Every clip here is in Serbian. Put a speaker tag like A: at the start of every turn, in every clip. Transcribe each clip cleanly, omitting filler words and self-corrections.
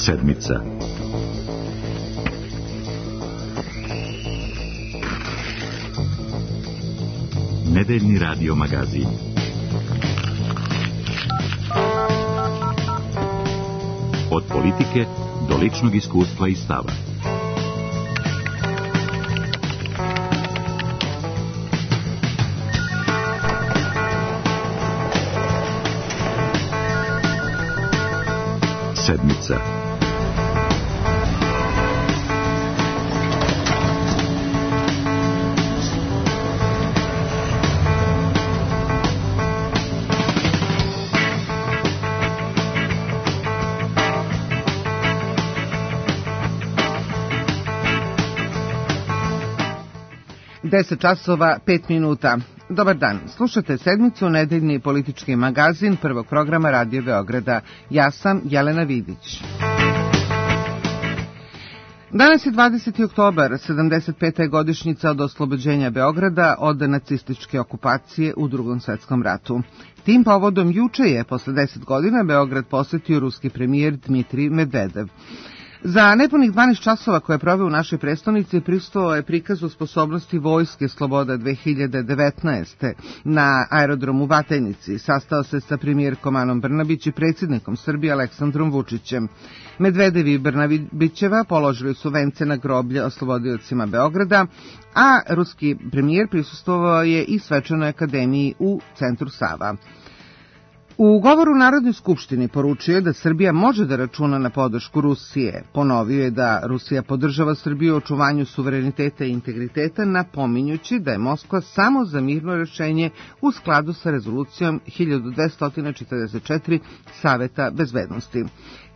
A: Sedmica. Nedeljni radio magazin. Od politike do ličnog iskustva i stava. Sedmica.
B: Deset časova, 5 minuta. Dobar dan, slušate Sedmicu, nedeljni politički magazin prvog programa Radio Beograda. Ja sam Jelena Vidić. Danas je 20. oktobar, 75. godišnjica od oslobođenja Beograda od nacističke okupacije u Drugom svetskom ratu. Tim povodom juče je, posle 10 godina, Beograd posetio ruski premijer Dmitrij Medvedev. Za nepunih 12 časova koje je proveo u našoj prestonici prisustvovao je prikazu sposobnosti Vojske Sloboda 2019. na aerodromu Batajnici. Sastao se sa premijerkom Anom Brnabić i predsjednikom Srbije Aleksandrom Vučićem. Medvedev i Brnabićeva položili su vence na groblje oslobodiocima Beograda, a ruski premijer prisustvovao je i svečanoj akademiji u centru Sava. U govoru u Narodnoj skupštini poručio je da Srbija može da računa na podršku Rusije. Ponovio je da Rusija podržava Srbiju u očuvanju suvereniteta i integriteta, napominjući da je Moskva samo za mirno rešenje u skladu sa rezolucijom 1244 Saveta bezbednosti.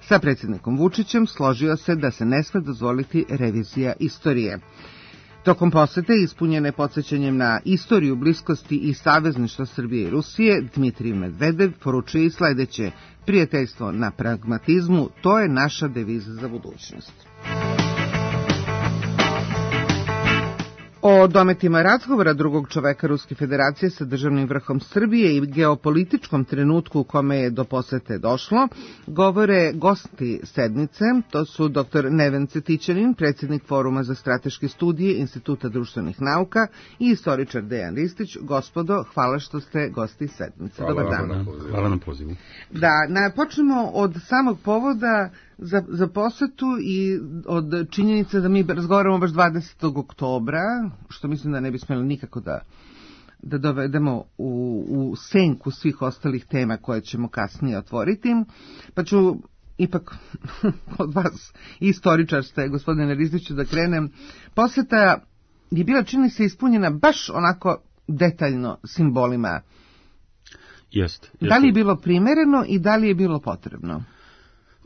B: Sa predsjednikom Vučićem složio se da se ne sme dozvoliti revizija istorije. Tokom posete, ispunjene podsjećanjem na istoriju bliskosti i savezništva Srbije i Rusije, Dmitrij Medvedev poručuje i sledeće: prijateljstvo na pragmatizmu, to je naša deviza za budućnost. O dometima razgovora drugog čoveka Ruske federacije sa državnim vrhom Srbije i geopolitičkom trenutku u kome je do posete došlo, govore gosti sedmice, to su dr. Neven Cetićanin, predsjednik Foruma za strateške studije Instituta društvenih nauka i istoričar Dejan Ristić. Gospodo, hvala što ste gosti sedmice. Dobar dan.
C: Hvala na pozivu.
B: Da, počnemo od samog povoda za posetu i od činjenice da mi razgovaramo baš 20. oktobra, što mislim da ne bi smjeli nikako da dovedemo u senku svih ostalih tema koje ćemo kasnije otvoriti. Pa ću ipak od vas, istoričar ste, gospodine Rizdiću, da krenem. Poseta je bila, čini se, ispunjena baš onako detaljno simbolima.
C: Jest.
B: Da li je bilo primereno i da li je bilo potrebno?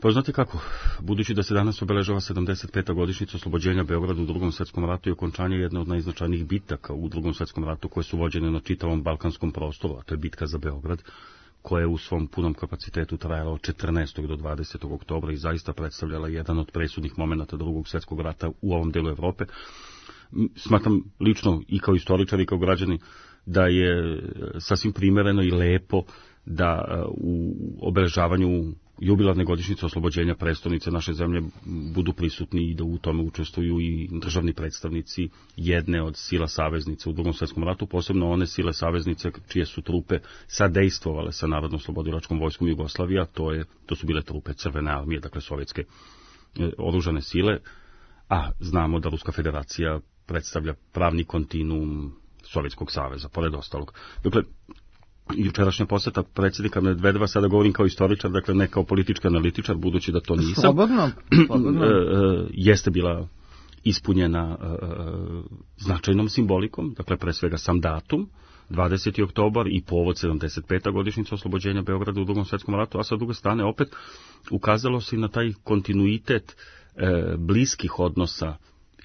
C: Pa znate kako, budući da se danas obeležava 75. godišnjica oslobođenja Beograda u Drugom svetskom ratu i okončanje jedne od najznačajnijih bitaka u Drugom svetskom ratu koje su vođene na čitavom balkanskom prostoru, a to je bitka za Beograd, koja je u svom punom kapacitetu trajala od 14. do 20. oktobra i zaista predstavljala jedan od presudnih momenata Drugog svjetskog rata u ovom delu Evrope. Smatram lično i kao istoričar i kao građani da je sasvim primereno i lepo da u obeležavanju jubilarne godišnjice oslobođenja prestonice naše zemlje budu prisutni i da u tome učestvuju i državni predstavnici jedne od sila saveznice u Drugom svjetskom ratu, posebno one sile saveznice čije su trupe sadejstvovale sa Narodno-oslobodilačkom vojskom Jugoslavije, to su bile trupe Crvene armije, dakle sovjetske oružane sile, a znamo da Ruska federacija predstavlja pravni kontinuum Sovjetskog saveza, pored ostalog. Dakle, jučerašnja poseta predsjednika Medvedeva, sada govorim kao istoričar, dakle ne kao politički analitičar, budući da to nisam.
B: Slobodno.
C: Jeste bila ispunjena značajnom simbolikom, dakle pre svega sam datum, 20. oktobar i povod 75. godišnjica oslobođenja Beograda u Drugom svjetskom ratu, a sa druge strane opet ukazalo se i na taj kontinuitet bliskih odnosa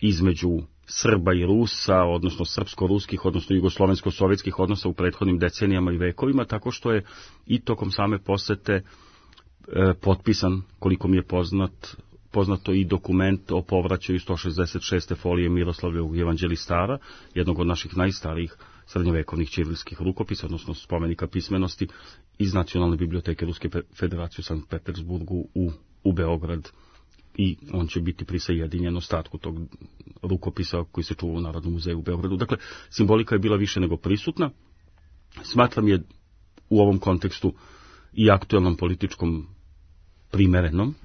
C: između Srba i Rusa, odnosno srpsko-ruskih, odnosno jugoslovensko-sovjetskih odnosa u prethodnim decenijama i vekovima, tako što je i tokom same posete potpisan, koliko mi je poznato i dokument o povraćaju 166. folije Miroslavljevog evanđelistara, jednog od naših najstarijih srednjovekovnih ćirilskih rukopisa, odnosno spomenika pismenosti iz Nacionalne biblioteke Ruske federacije u Sankt Petersburgu u Beograd i on će biti prisajedinjen ostatku tog rukopisa koji se čuva u Narodnom muzeju u Beogradu. Dakle, simbolika je bila više nego prisutna. Smatram je u ovom kontekstu i aktuelnom političkom primerenom,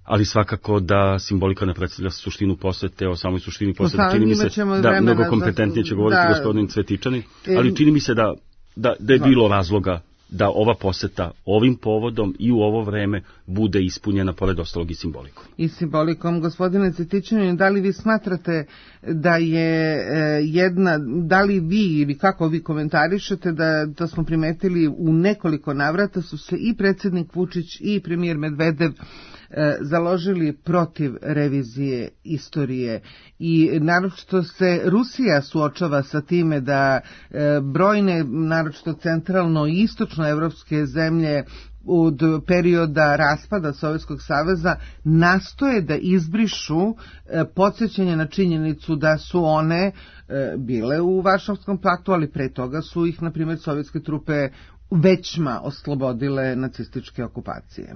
C: ali svakako da simbolika ne predstavlja suštinu posete, o samoj suštini posete. Čini mi se da mnogo kompetentnije će govoriti gospodin Cvetičanin, ali čini mi se da je bilo razloga da ova poseta ovim povodom i u ovo vreme bude ispunjena pored ostalog i simbolikom.
B: I simbolikom. Gospodine Cvetičanin, da li vi smatrate da je da li vi ili kako vi komentarišete da smo primetili u nekoliko navrata su se i predsjednik Vučić i premijer Medvedev založili protiv revizije istorije i naročito se Rusija suočava sa time da brojne, naročito centralno i istočno evropske zemlje od perioda raspada Sovjetskog saveza nastoje da izbrišu podsjećanje na činjenicu da su one bile u Varšavskom paktu, ali pre toga su ih, na primjer, sovjetske trupe većma oslobodile nacističke okupacije.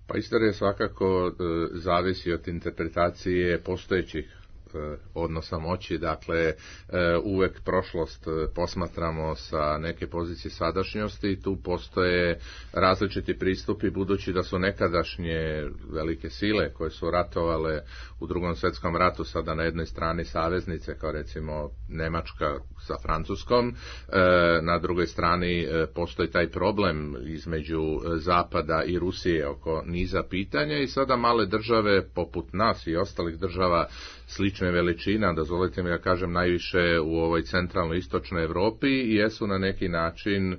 D: Pa istorija svakako zavisi od interpretacije postojećih odnosa moći, dakle uvek prošlost posmatramo sa neke pozicije sadašnjosti i tu postoje različiti pristupi budući da su nekadašnje velike sile koje su ratovale u Drugom svjetskom ratu sada na jednoj strani saveznice kao recimo Nemačka sa Francuskom, na drugoj strani postoji taj problem između Zapada i Rusije oko niza pitanja i sada male države poput nas i ostalih država slične veličina, dozvolite mi da kažem najviše u ovoj centralnoj istočnoj Europi, jesu na neki način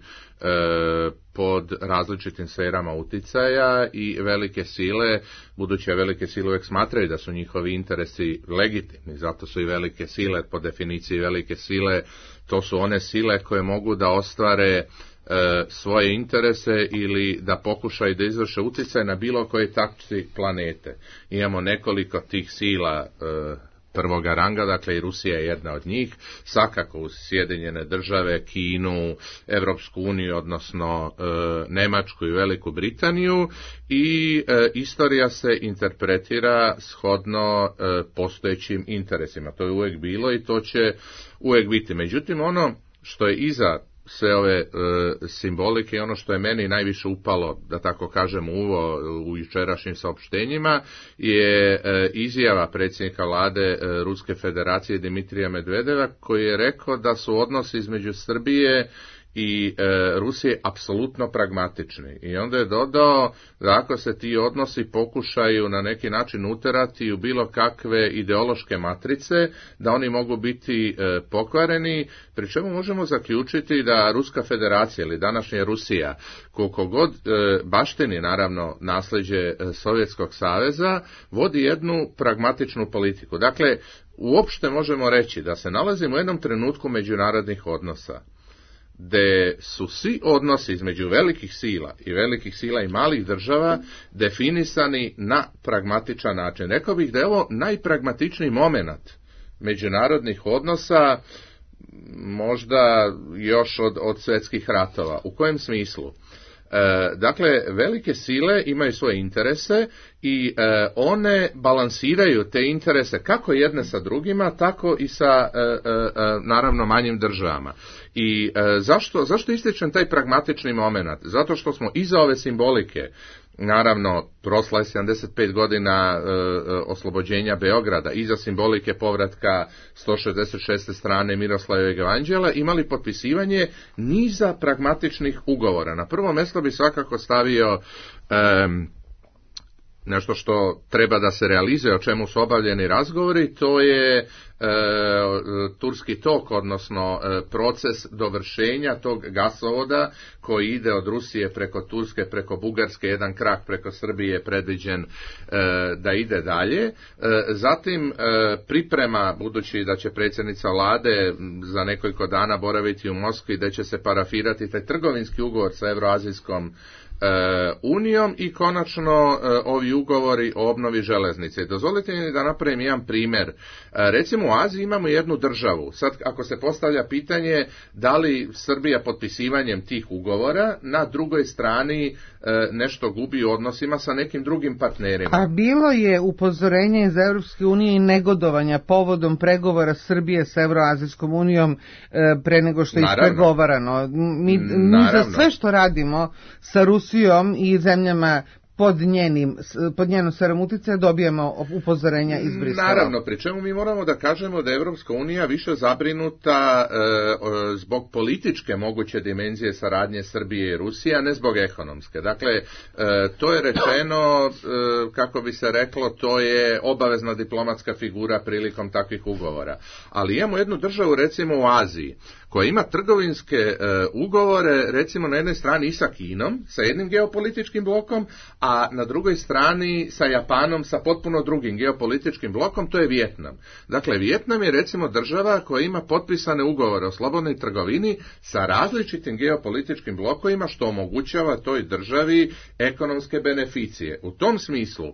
D: pod različitim sferama uticaja i velike sile, budući velike sile uvijek smatraju da su njihovi interesi legitimni, zato su i velike sile, po definiciji velike sile, to su one sile koje mogu da ostvare svoje interese ili da pokušaju da izvrše utjecaj na bilo koje tačci planete. Imamo nekoliko tih sila prvoga ranga, dakle i Rusija je jedna od njih, svakako uz Sjedinjene države, Kinu, Evropsku uniju, odnosno Nemačku i Veliku Britaniju i istorija se interpretira shodno postojećim interesima. To je uvijek bilo i to će uvijek biti. Međutim, ono što je iza sve ove simbolike i ono što je meni najviše upalo, da tako kažem, u jučerašnjim saopštenjima je izjava predsjednika vlade Ruske federacije Dimitrija Medvedeva koji je rekao da su odnosi između Srbije i Rusije apsolutno pragmatični. I onda je dodao da ako se ti odnosi pokušaju na neki način uterati u bilo kakve ideološke matrice, da oni mogu biti pokvareni, pri čemu možemo zaključiti da Ruska federacija ili današnja Rusija, koliko god baštini naravno nasljeđe Sovjetskog saveza, vodi jednu pragmatičnu politiku. Dakle, uopšte možemo reći da se nalazimo u jednom trenutku međunarodnih odnosa, gde su svi odnosi između velikih sila i malih država definisani na pragmatičan način. Rekao bih da je ovo najpragmatičniji moment međunarodnih odnosa, možda još od svjetskih ratova. U kojem smislu? Dakle, velike sile imaju svoje interese i one balansiraju te interese kako jedne sa drugima, tako i sa naravno manjim državama. I zašto ističem taj pragmatični moment? Zato što smo iza ove simbolike, naravno prošla je 75 godina oslobođenja Beograda, iza simbolike povratka 166. strane Miroslavljevog evanđela, imali potpisivanje niza pragmatičnih ugovora. Na prvo mjesto bi svakako stavio nešto što treba da se realizuje, o čemu su obavljeni razgovori, to je Turski tok, odnosno proces dovršenja tog gasovoda koji ide od Rusije preko Turske, preko Bugarske, jedan krak preko Srbije je predviđen da ide dalje. Zatim priprema, budući da će predsjednica vlade za nekoliko dana boraviti u Moskvi, da će se parafirati taj trgovinski ugovor sa Evroazijskom unijom i konačno ovi ugovori o obnovi železnice. Dozvolite mi da napravim jedan primjer. Recimo u u Aziji imamo jednu državu. Sad, ako se postavlja pitanje da li Srbija potpisivanjem tih ugovora na drugoj strani nešto gubi u odnosima sa nekim drugim partnerima.
B: A bilo je upozorenje iz Evropske unije i negodovanja povodom pregovora Srbije sa Evroazijskom unijom pre nego što je ispregovarano. Mi za sve što radimo sa Rusijom i zemljama pod njenom sferom uticaja dobijemo upozorenja iz Brisela.
D: Naravno, pri čemu mi moramo da kažemo da je Evropska unija više zabrinuta zbog političke moguće dimenzije saradnje Srbije i Rusije, a ne zbog ekonomske. Dakle, to je rečeno, kako bi se reklo, to je obavezna diplomatska figura prilikom takvih ugovora. Ali imamo jednu državu, recimo u Aziji, koja ima trgovinske ugovore, recimo na jednoj strani i sa Kinom, sa jednim geopolitičkim blokom, a na drugoj strani sa Japanom, sa potpuno drugim geopolitičkim blokom, to je Vijetnam. Dakle, Vijetnam je recimo država koja ima potpisane ugovore o slobodnoj trgovini sa različitim geopolitičkim blokovima, što omogućava toj državi ekonomske beneficije. U tom smislu,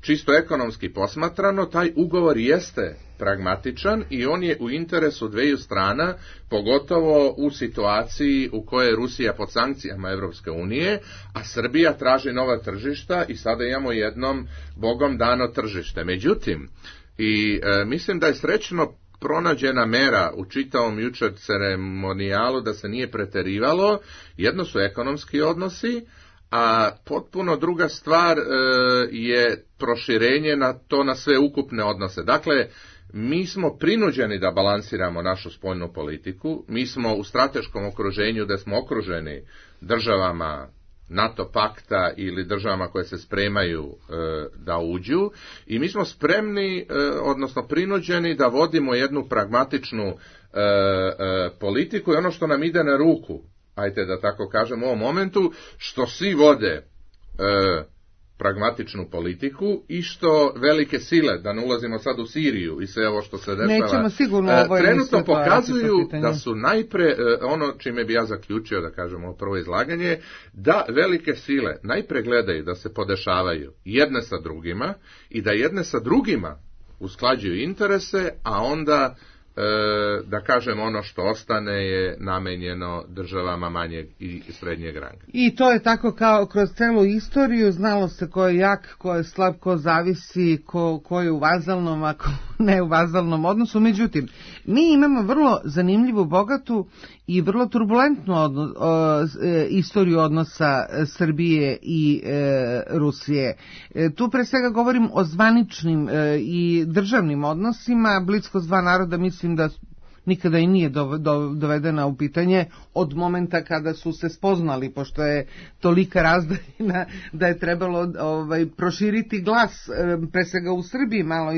D: čisto ekonomski posmatrano, taj ugovor jeste pragmatičan i on je u interesu dveju strana, pogotovo u situaciji u kojoj je Rusija pod sankcijama Evropske unije, a Srbija traži nova tržišta i sada imamo jednom Bogom dano tržište. Međutim, mislim da je srećno pronađena mera u čitavom jučer ceremonijalu da se nije preterivalo. Jedno su ekonomski odnosi, a potpuno druga stvar je proširenje na sve ukupne odnose. Dakle, mi smo prinuđeni da balansiramo našu spoljnu politiku, mi smo u strateškom okruženju da smo okruženi državama NATO pakta ili državama koje se spremaju da uđu i mi smo spremni, odnosno prinuđeni da vodimo jednu pragmatičnu politiku i ono što nam ide na ruku, ajde da tako kažem u ovom momentu, što svi vode pragmatičnu politiku i što velike sile, da ne ulazimo sad u Siriju i sve ovo što se dešava, trenutno pokazuju da su najpre, ono čime bi ja zaključio, da kažem, ovo prvo izlaganje, da velike sile najpre gledaju da se podešavaju jedne sa drugima i da jedne sa drugima usklađuju interese, a onda da kažem ono što ostane je namenjeno državama manjeg i srednjeg ranga.
B: I to je tako kao kroz celu istoriju, znalo se ko je jak, ko je slab, ko zavisi, ko je u vazalnom, a ko ne u vazalnom odnosu. Međutim, mi imamo vrlo zanimljivu, bogatu i vrlo turbulentnu istoriju odnosa Srbije i Rusije. Tu pre svega govorim o zvaničnim i državnim odnosima. Bliskost dva naroda mislim da nikada i nije dovedena u pitanje od momenta kada su se spoznali, pošto je tolika razdaljina da je trebalo proširiti glas, pre svega u Srbiji, malo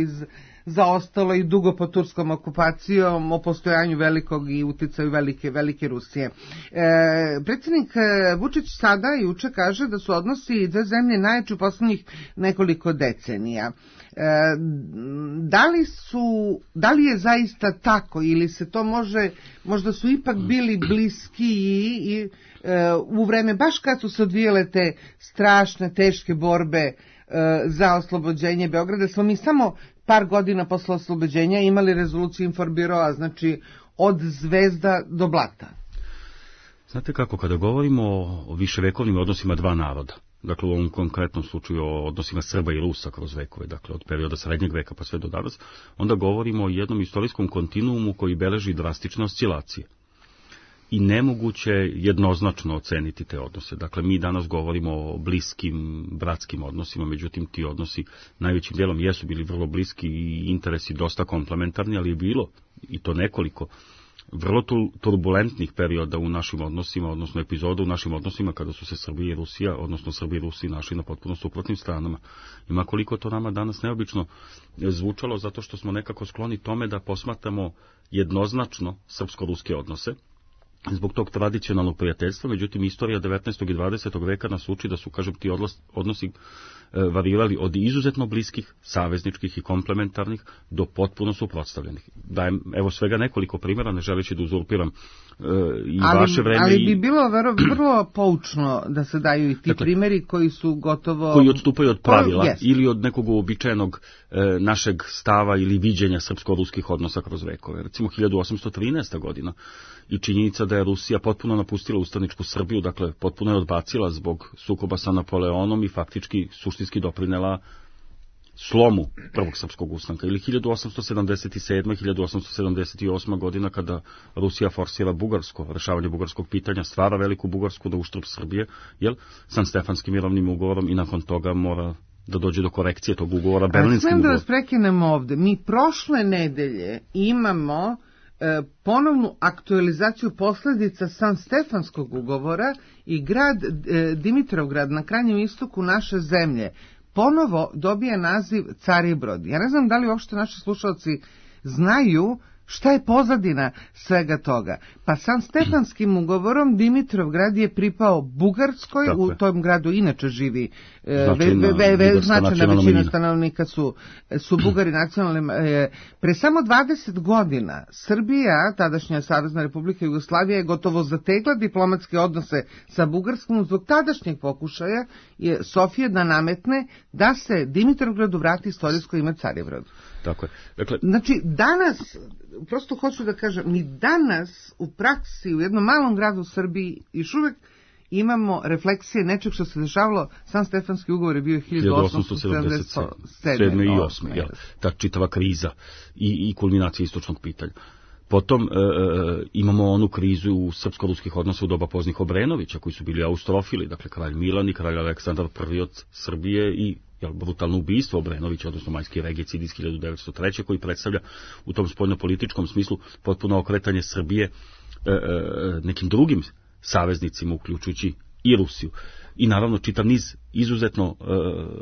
B: zaostalo i dugo pod turskom okupacijom o postojanju velikog i uticaju velike Rusije. Predsjednik Vučić sada juče kaže da su odnosi dve zemlje najjači u poslednjih nekoliko decenija. Da li je zaista tako ili se to možda su ipak bili bliskiji i u vreme baš kad su se odvijale te strašne, teške borbe za oslobođenje Beograda, smo mi samo par godina posle oslobođenja imali rezoluciju Informbiroa, znači od zvezda do blata.
C: Znate kako, kada govorimo o viševekovnim odnosima dva naroda, dakle u ovom konkretnom slučaju o odnosima Srba i Rusa kroz vekove, dakle od perioda srednjeg veka pa sve do danas, onda govorimo o jednom istorijskom kontinuumu koji beleži drastične oscilacije. I nemoguće jednoznačno oceniti te odnose. Dakle, mi danas govorimo o bliskim, bratskim odnosima, međutim ti odnosi najvećim dijelom jesu bili vrlo bliski i interesi dosta komplementarni, ali je bilo, i to nekoliko, vrlo turbulentnih perioda u našim odnosima, odnosno epizoda u našim odnosima kada su se Srbija i Rusija, odnosno Srbija i Rusija našli na potpuno suprotnim stranama. Ima koliko to nama danas neobično zvučalo, zato što smo nekako skloni tome da posmatramo jednoznačno srpsko-ruske odnose, zbog tog tradicionalnog prijateljstva, međutim istorija 19. i 20. veka nas uči da su, kažem, ti odnosi varirali od izuzetno bliskih, savezničkih i komplementarnih do potpuno suprotstavljenih. Dajem, evo, svega nekoliko primjera, ne želeći da uzurpiram i vaše vreme.
B: Ali bi bilo vrlo poučno da se daju i ti primjeri koji su gotovo...
C: Koji odstupaju od pravila ili od nekog uobičajenog našeg stava ili viđenja srpsko-ruskih odnosa kroz vekove. Recimo 1813. godina i činjenica da je Rusija potpuno napustila ustaničku Srbiju, dakle potpuno je odbacila zbog sukoba sa Napoleonom i faktički suštinski doprinela slomu prvog srpskog ustanka, ili 1877. 1878. godina kada Rusija forsira Bugarsko, rešavanje bugarskog pitanja, stvara veliku Bugarsku na uštrb Srbije, Sanstefanskim mirovnim ugovorom, i nakon toga mora da dođe do korekcije tog ugovora Berlinskim ugovorom.
B: Smijem da vas prekinemo ovde. Mi prošle nedelje imamo ponovnu aktualizaciju posledica Sanstefanskog ugovora i grad Dimitrovgrad na krajnjem istoku naše zemlje ponovo dobije naziv Caribrod. Ja ne znam da li uopšte naši slušalci znaju šta je pozadina svega toga. Pa Sanstefanskim ugovorom Dimitrovgrad je pripao Bugarskoj, u tom gradu inače živi značajna većina stanovnika su Bugari nacionalni. Pre samo 20 godina Srbija, tadašnja Savezna Republika Jugoslavija, je gotovo zategla diplomatske odnose sa Bugarskom zbog tadašnjeg pokušaja Sofije da nametne da se Dimitrovgradu vrati istorijsko ime Caribrod.
C: Tako je. Dakle,
B: znači, danas, prosto hoću da kažem, mi danas u praksi u jednom malom gradu u Srbiji još uvek imamo refleksije nečeg što se dešavalo. Sanstefanski ugovor je bio 1877.
C: i 8. Ta čitava kriza i kulminacija istočnog pitanja. Potom imamo onu krizu u srpsko-ruskih odnosa u doba poznih Obrenovića, koji su bili austrofili, dakle kralj Milan i kralj Aleksandar I od Srbije i brutalno ubistvo Obrenovića, odnosno majski regicid iz 1903. koji predstavlja u tom spoljnopolitičkom smislu potpuno okretanje Srbije nekim drugim saveznicima, uključujući i Rusiju. I naravno čitav niz izuzetno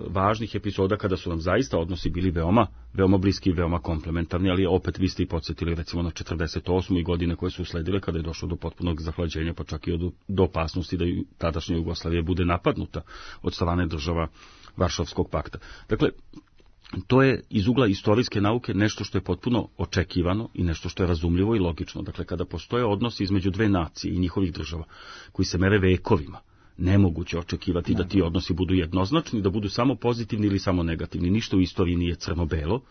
C: važnih epizoda kada su nam zaista odnosi bili veoma bliski i veoma komplementarni, ali opet vi ste i podsjetili recimo na 48. i godine koje su usledile kada je došlo do potpunog zahlađenja, pa čak i do opasnosti da tadašnja Jugoslavija bude napadnuta od strane država Varšavskog pakta. Dakle, to je iz ugla istorijske nauke nešto što je potpuno očekivano i nešto što je razumljivo i logično. Dakle, kada postoje odnosi između dve nacije i njihovih država koji se mere vekovima, nemoguće očekivati da ti odnosi budu jednoznačni, da budu samo pozitivni ili samo negativni. Ništa u istoriji nije crno-belo,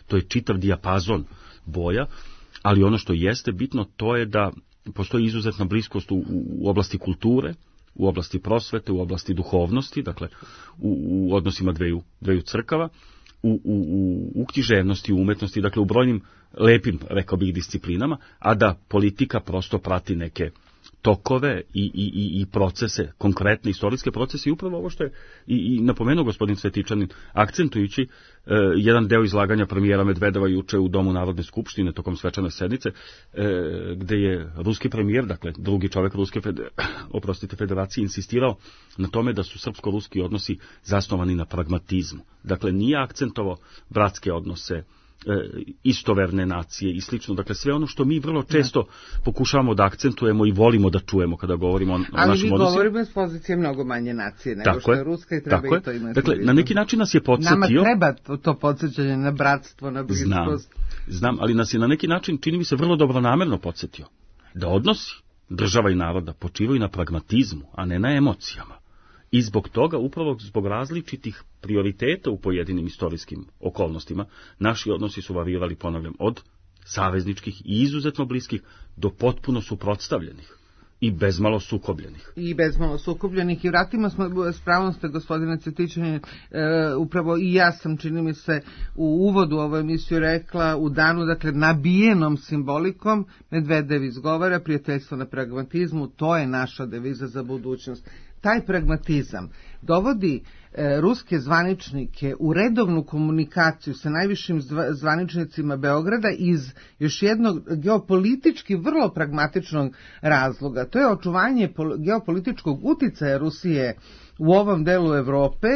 C: to je čitav dijapazon boja, ali ono što jeste bitno to je da postoji izuzetna bliskost u oblasti kulture, u oblasti prosvete, u oblasti duhovnosti, dakle u odnosima dveju crkava, u književnosti, u umetnosti, dakle u brojnim lepim, rekao bih, disciplinama, a da politika prosto prati neke tokove i procese, konkretne istorijske procese, i upravo ovo što je i napomenuo gospodin Svetičanin, akcentujući jedan deo izlaganja premijera Medvedeva juče u Domu Narodne skupštine tokom svečane sednice, gde je ruski premijer, dakle drugi čovjek Ruske federacije, insistirao na tome da su srpsko-ruski odnosi zasnovani na pragmatizmu. Dakle, nije akcentovao bratske odnose, istoverne nacije i slično. Dakle, sve ono što mi vrlo često pokušavamo da akcentujemo i volimo da čujemo kada govorimo o našim odnosima.
B: Ali vi govorimo s pozicije mnogo manje nacije nego što je Ruska i treba i to imati.
C: Dakle, na neki način nas je podsjetio...
B: Nama treba to podsjećanje na bratstvo, na bliskost.
C: Znam, ali nas je na neki način, čini mi se, vrlo dobronamerno podsjetio da odnosi država i naroda počivaju na pragmatizmu, a ne na emocijama. I zbog toga, upravo zbog različitih prioriteta u pojedinim istorijskim okolnostima, naši odnosi su varirali, ponavljam, od savezničkih i izuzetno bliskih do potpuno suprotstavljenih i bezmalo sukobljenih.
B: I vratimo smo, s pravom ste, gospodine Cvetičanin, upravo i ja sam, čini mi se, u uvodu ovoj emisiju rekla, u danu, dakle, nabijenom simbolikom, Medvedev izgovara prijateljstvo na pragmatizmu, to je naša deviza za budućnost. Taj pragmatizam dovodi ruske zvaničnike u redovnu komunikaciju sa najvišim zvaničnicima Beograda iz još jednog geopolitički vrlo pragmatičnog razloga. To je očuvanje geopolitičkog uticaja Rusije u ovom delu Evrope,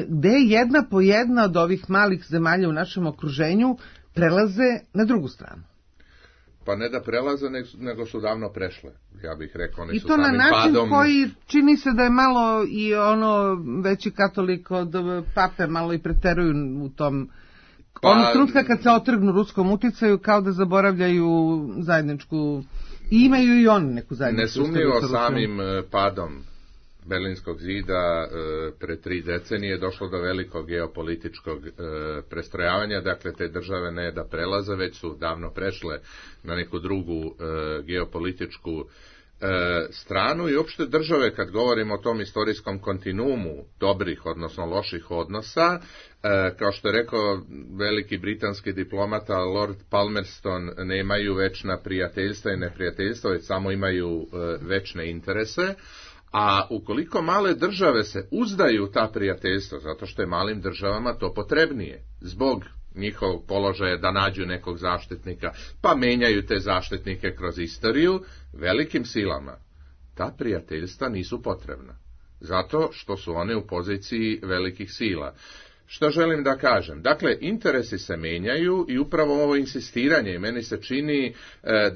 B: gde je jedna po jedna od ovih malih zemalja u našem okruženju prelaze na drugu stranu.
D: Pa ne da prelaze, nego su davno prešle, ja bih rekao.
B: I to na način koji čini se da je malo i ono veći katolik od pape, malo i preteruju u tom... Onog trenutka kad se otrgnu ruskom uticaju, kao da zaboravljaju zajedničku I imaju i oni neku zajednicu.
D: Nesumnjivo samim padom Berlinskog zida pre 3 decenije je došlo do velikog geopolitičkog prestrojavanja, dakle te države ne da prelaze, već su davno prešle na neku drugu geopolitičku stranu i uopšte države, kad govorimo o tom istorijskom kontinuumu dobrih, odnosno loših odnosa, kao što je rekao veliki britanski diplomata Lord Palmerston, nemaju večna prijateljstva i neprijateljstva, već samo imaju večne interese. A ukoliko male države se uzdaju ta prijateljstva, zato što je malim državama to potrebnije, zbog njihovog položaja da nađu nekog zaštitnika, pa menjaju te zaštitnike kroz istoriju, velikim silama ta prijateljstva nisu potrebna, zato što su one u poziciji velikih sila. Što želim da kažem? Dakle, interesi se menjaju i upravo ovo insistiranje, meni se čini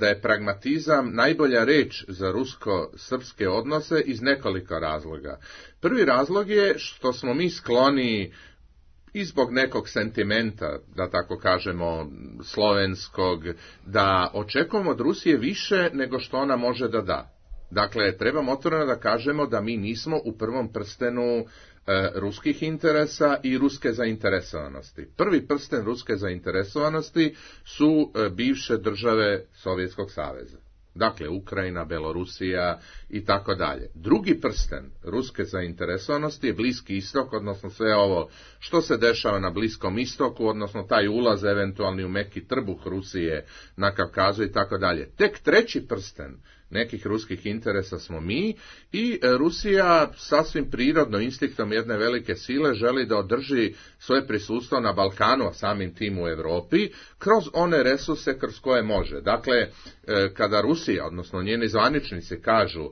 D: da je pragmatizam najbolja reč za rusko-srpske odnose iz nekoliko razloga. Prvi razlog je što smo mi skloni i zbog nekog sentimenta, da tako kažemo, slovenskog, da očekujemo od Rusije više nego što ona može da da. Dakle, trebamo otvoreno da kažemo da mi nismo u prvom prstenu ruskih interesa i ruske zainteresovanosti. Prvi prsten ruske zainteresovanosti su bivše države Sovjetskog saveza. Dakle, Ukrajina, Belorusija i tako dalje. Drugi prsten ruske zainteresovanosti je Bliski istok, odnosno sve ovo što se dešava na Bliskom istoku, odnosno taj ulaz eventualni u meki trbuh Rusije na Kavkazu i tako dalje. Tek treći prsten nekih ruskih interesa smo mi i Rusija sasvim prirodno instiktom jedne velike sile želi da održi svoje prisustvo na Balkanu, a samim tim u Europi, kroz one resurse kroz koje može. Dakle, kada Rusija, odnosno njeni zvaničnici kažu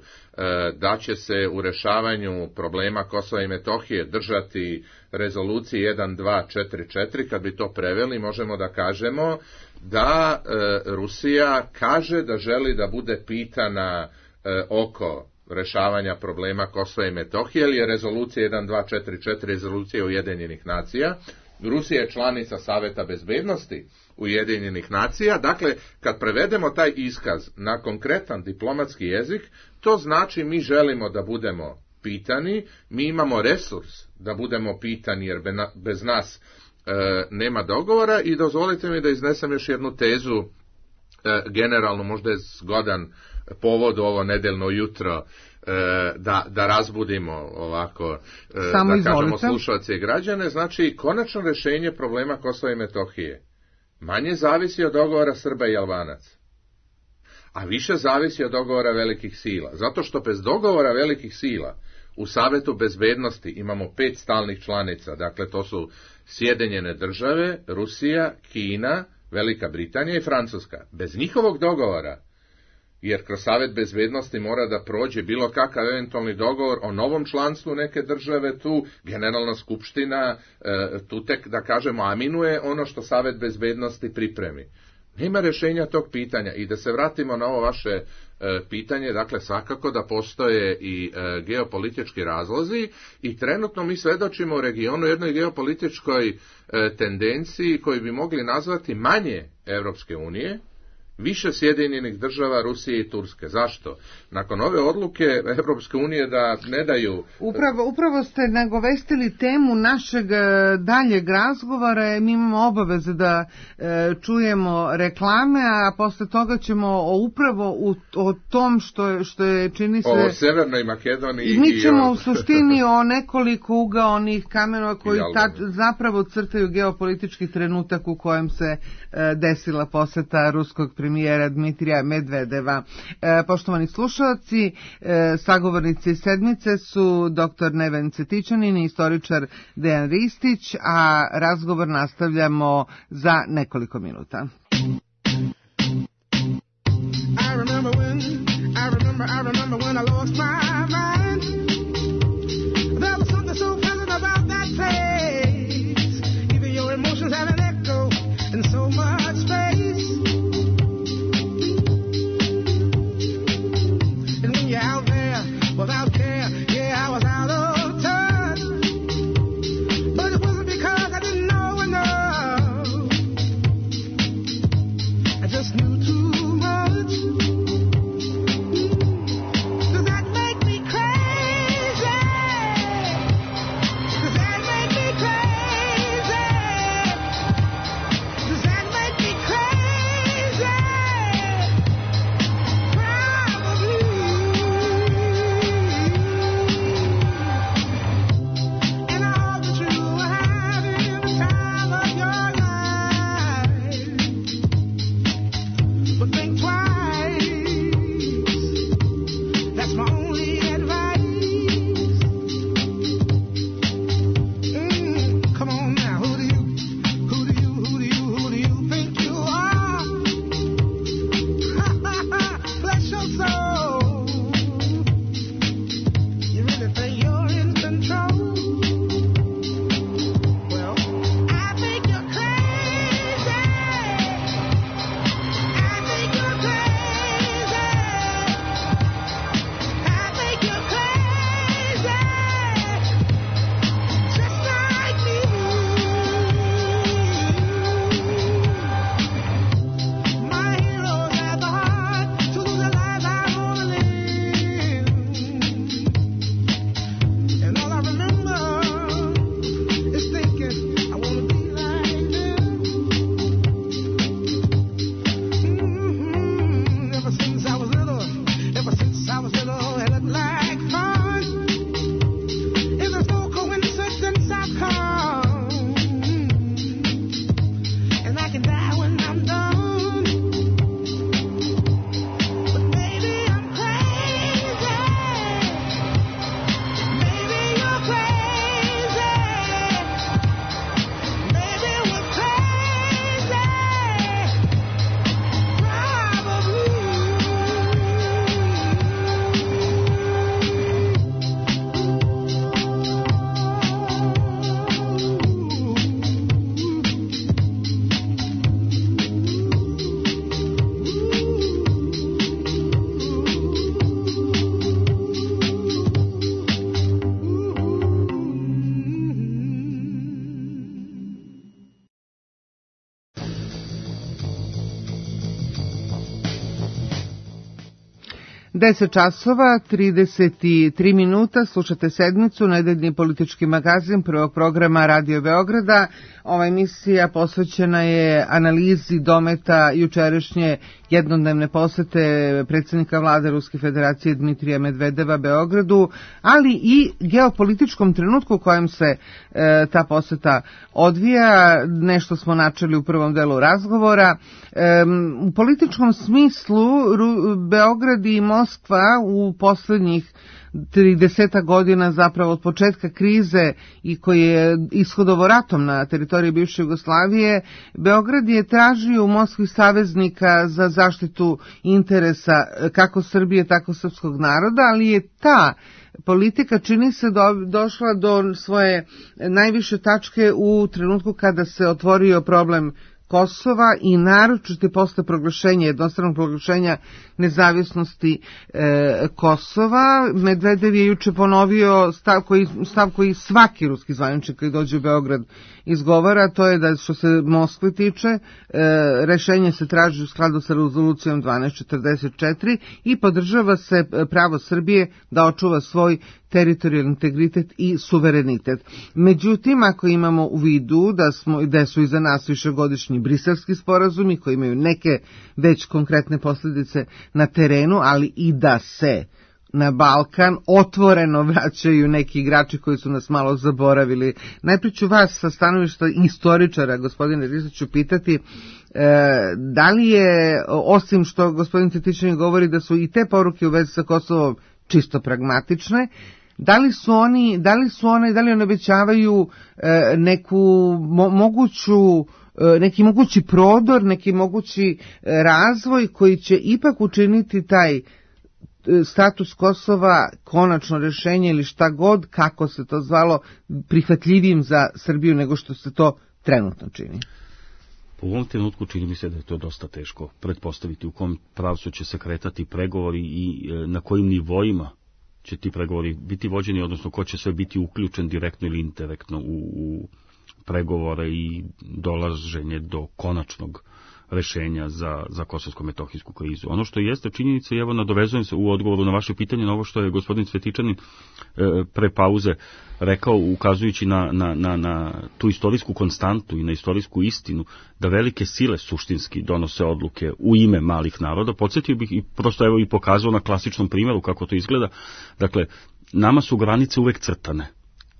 D: da će se u rešavanju problema Kosova i Metohije držati rezolucije 1244, kad bi to preveli, možemo da kažemo da Rusija kaže da želi da bude pitana oko rešavanja problema Kosova i Metohije, jer je rezolucija 1244 rezolucija Ujedinjenih nacija. Rusija je članica Saveta bezbednosti Ujedinjenih nacija. Dakle, kad prevedemo taj iskaz na konkretan diplomatski jezik, to znači mi želimo da budemo pitani, mi imamo resurs da budemo pitani, jer bez nas nema dogovora. I dozvolite mi da iznesem još jednu tezu, generalno možda je zgodan povod ovo nedeljno jutro, da razbudimo ovako, da kažemo slušalce i građane. Znači, konačno rešenje problema Kosova i Metohije manje zavisi od dogovora Srba i Albanaca, a više zavisi od dogovora velikih sila, zato što bez dogovora velikih sila u Savetu bezbednosti imamo 5 stalnih članica, dakle to su Sjedinjene države, Rusija, Kina, Velika Britanija i Francuska. Bez njihovog dogovora, jer kroz Savet bezbednosti mora da prođe bilo kakav eventualni dogovor o novom članstvu neke države, tu Generalna skupština tu tek, da kažemo, aminuje ono što Savet bezbednosti pripremi. Nema rešenja tog pitanja. I da se vratimo na ovo vaše pitanje, dakle svakako da postoje i geopolitički razlozi i trenutno mi svedočimo u regionu jednoj geopolitičkoj tendenciji koju bi mogli nazvati manje Evropske unije, više Sjedinjenih država, Rusije i Turske. Zašto? Nakon ove odluke Evropske unije da ne daju...
B: Upravo ste nagovestili temu našeg daljeg razgovora. Mi imamo obaveze da čujemo reklame, a posle toga ćemo upravo o tom što je čini se...
D: O Severnoj Makedoniji.
B: I mi ćemo u suštini o nekoliko ugaonih kamenova koji zapravo crtaju geopolitički trenutak u kojem se desila poseta ruskog premijera Dmitrija Medvedeva. Poštovani slušalci, sagovornici sedmice su dr. Neven Cetićanin i istoričar Dejan Ristić, a razgovor nastavljamo za nekoliko minuta. I remember when I lost my mind. There was something so pleasant about that place. Even your emotions have an echo in so much space. And when you're out there without care, yeah, I was out of touch. But it wasn't because I didn't know enough. I just knew too much. 10 časova, 33 minuta, slušate sedmicu, nedeljni politički magazin prvog programa Radio Beograda. Ova emisija posvećena je analizi dometa jučerašnje jednodnevne posete predsjednika vlade Ruske federacije Dmitrija Medvedeva Beogradu, ali i geopolitičkom trenutku u kojem se ta poseta odvija. Nešto smo načeli u prvom delu razgovora. U političkom smislu Beograd i Moskva u posljednjih 30 godina, zapravo od početka krize i koji je ishodovo ratom na teritoriji bivše Jugoslavije, Beograd je tražio u Moskvi saveznika za zaštitu interesa kako Srbije, tako srpskog naroda, ali je ta politika, čini se, došla do svoje najviše tačke u trenutku kada se otvorio problem Kosova i naročito posle proglašenja, jednostranog proglašenja nezavisnosti Kosova. Medvedev je juče ponovio stav koji svaki ruski zvaničnik koji dođe u Beograd izgovara, to je da što se Moskve tiče, rešenje se traži u skladu sa rezolucijom 1244 i podržava se pravo Srbije da očuva svoj teritorijalni integritet i suverenitet. Međutim, ako imamo u vidu da su iza nas višegodišnji briselski sporazumi koji imaju neke već konkretne posljedice na terenu, ali i da se na Balkan otvoreno vraćaju neki igrači koji su nas malo zaboravili. Najprije ću vas sa stanovišta istoričara, gospodine Ristiću, pitati da li je, osim što gospodin Cvetićanin govori da su i te poruke u vezi sa Kosovom čisto pragmatične, da li one obećavaju neki mogući prodor, neki mogući razvoj koji će ipak učiniti taj status Kosova, konačno rješenje ili šta god, kako se to zvalo, prihvatljivim za Srbiju nego što se to trenutno čini?
C: U ovom trenutku čini mi se da je to dosta teško pretpostaviti u kom pravcu će se kretati pregovori i na kojim nivoima će ti pregovori biti vođeni, odnosno ko će sve biti uključen direktno ili indirektno u pregovore i dolaženje do konačnog rešenja za kosovsko-metohijsku krizu. Ono što jeste činjenica, i evo nadovezujem se u odgovoru na vaše pitanje, na ovo što je gospodin Cvetićanin pre pauze rekao, ukazujući na tu istorijsku konstantu i na istorijsku istinu, da velike sile suštinski donose odluke u ime malih naroda. Podsjetio bih i prosto evo i pokazao na klasičnom primjeru kako to izgleda. Dakle, nama su granice uvek crtane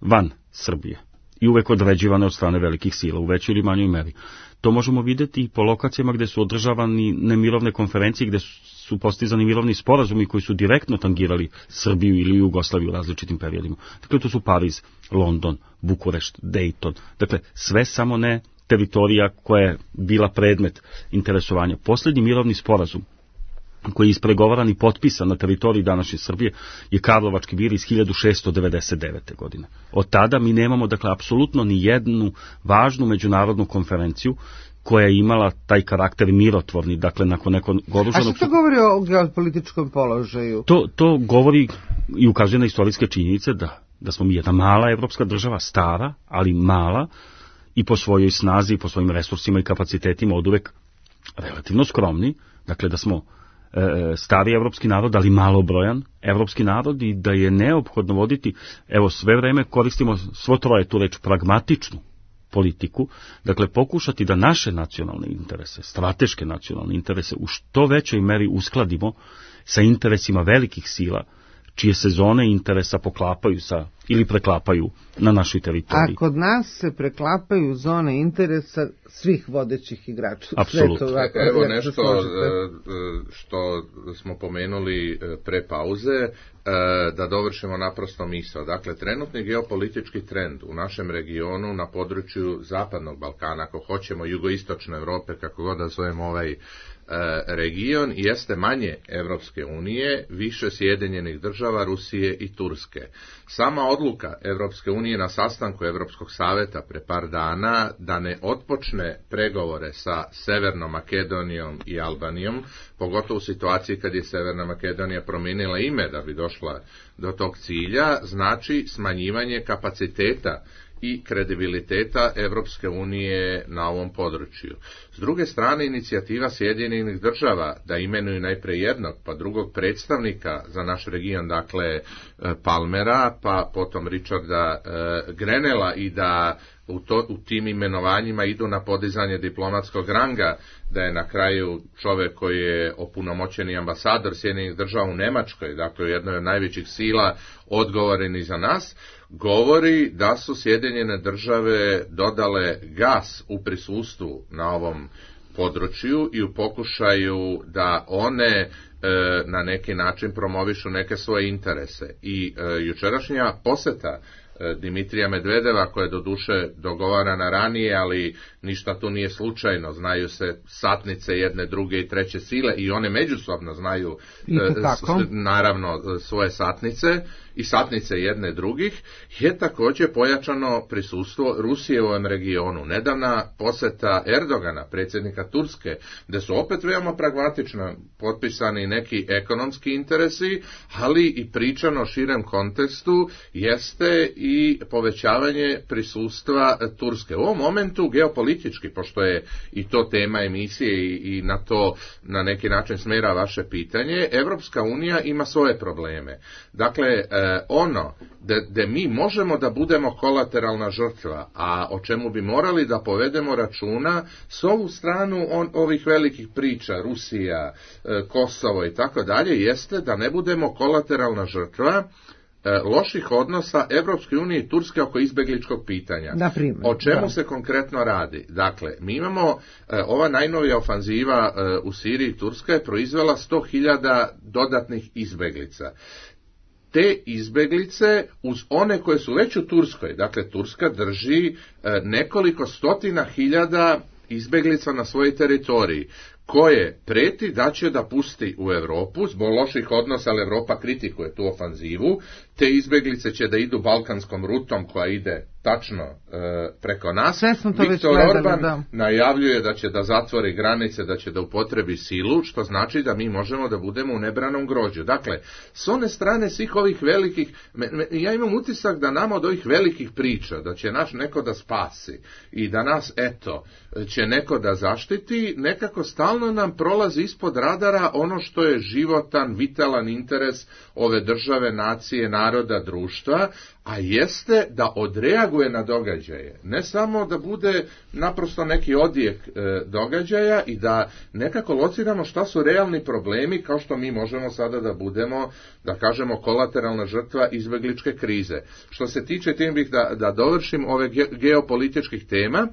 C: van Srbije i uvek određivane od strane velikih sila u većoj ili manjoj meri. To možemo vidjeti i po lokacijama gde su održavani nemirovne konferencije, gde su postizani mirovni sporazumi koji su direktno tangirali Srbiju ili Jugoslaviju u različitim periodima. Dakle, to su Pariz, London, Bukurešt, Dayton. Dakle, sve samo ne teritorija koja je bila predmet interesovanja. Posljednji mirovni sporazum koji je ispregovaran i potpisan na teritoriji današnje Srbije je Karlovački mir iz 1699. godine. Od tada mi nemamo, dakle, apsolutno ni jednu važnu međunarodnu konferenciju koja je imala taj karakter mirotvorni, dakle, nakon nekog oružanog...
B: A što to govori o geopolitičkom položaju?
C: To govori i ukazuje na istorijske činjenice da smo mi jedna mala evropska država, stara, ali mala, i po svojoj snazi, i po svojim resursima i kapacitetima oduvek relativno skromni, dakle da smo stari evropski narod, ali malobrojan evropski narod i da je neophodno voditi, evo sve vreme koristimo svo troje tu reč, pragmatičnu politiku, dakle pokušati da naše nacionalne interese, strateške nacionalne interese u što većoj meri uskladimo sa interesima velikih sila čije se zone interesa poklapaju ili preklapaju na našoj teritoriji.
B: A kod nas se preklapaju zone interesa svih vodećih igrača.
C: Apsolutno.
D: Evo nešto što smo pomenuli pre pauze, da dovršimo naprosto misao. Dakle, trenutni geopolitički trend u našem regionu na području Zapadnog Balkana, ako hoćemo jugoistočne Evrope, kako god da zovemo ovaj region, jeste manje Evropske unije, više Sjedinjenih država, Rusije i Turske. Sama odluka Evropske unije na sastanku Evropskog saveta pre par dana da ne otpočne pregovore sa Severnom Makedonijom i Albanijom, pogotovo u situaciji kad je Severna Makedonija promijenila ime da bi došla do tog cilja, znači smanjivanje kapaciteta i kredibiliteta Evropske unije na ovom području. S druge strane, inicijativa Sjedinjenih država da imenuju najprije jednog pa drugog predstavnika za naš region, dakle Palmera, pa potom Richarda Grenella, i da u tim imenovanjima idu na podizanje diplomatskog ranga, da je na kraju čovjek koji je opunomoćeni ambasador Sjedinjenih država u Nemačkoj, dakle jednoj od najvećih sila, odgovoren i za nas, govori da su Sjedinjene države dodale gas u prisustvu na ovom području i u pokušaju da one na neki način promovišu neke svoje interese. I jučerašnja poseta Dimitrija Medvedeva, koja je doduše dogovarana ranije, ali ništa tu nije slučajno, znaju se satnice jedne, druge i treće sile i one međusobno znaju naravno svoje satnice i satnice jedne drugih, je također pojačano prisustvo Rusije u ovom regionu. Nedavna poseta Erdogana, predsjednika Turske, gdje su opet veoma pragmatično potpisani neki ekonomski interesi, ali i pričano o širem kontekstu jeste i povećavanje prisustva Turske. U ovom momentu geopolitički, pošto je i to tema emisije i na to na neki način smjera vaše pitanje, Evropska unija ima svoje probleme. Dakle, ono da mi možemo da budemo kolateralna žrtva, a o čemu bi morali da povedemo računa s ovu stranu ovih velikih priča, Rusija, Kosovo i tako dalje, jeste da ne budemo kolateralna žrtva loših odnosa Evropske unije i Turske oko izbegličkog pitanja. O čemu se konkretno radi? Dakle, mi imamo ova najnovija ofanziva u Siriji, Turska je proizvela 100.000 dodatnih izbeglica. Te izbeglice uz one koje su već u Turskoj, dakle Turska drži nekoliko stotina hiljada izbeglica na svojoj teritoriji, koje preti da će da pusti u Europu zbog loših odnosa, ali Europa kritikuje tu ofanzivu. Te izbeglice će da idu balkanskom rutom koja ide tačno preko nas. Viktor Orban najavljuje da će da zatvori granice, da će da upotrebi silu, što znači da mi možemo da budemo u nebranom grođu. Dakle, s one strane svih ovih velikih, ja imam utisak da nama od ovih velikih priča, da će naš neko da spasi i da nas, će neko da zaštiti, nekako stalno nam prolazi ispod radara ono što je životan, vitalan interes ove države, nacije, naroda, društva, a jeste da odreaguje na događaje. Ne samo da bude naprosto neki odjek događaja i da nekako lociramo šta su realni problemi, kao što mi možemo sada da budemo, da kažemo, kolateralna žrtva izbegličke krize. Što se tiče, tim bih da dovršim ove geopolitičkih tema,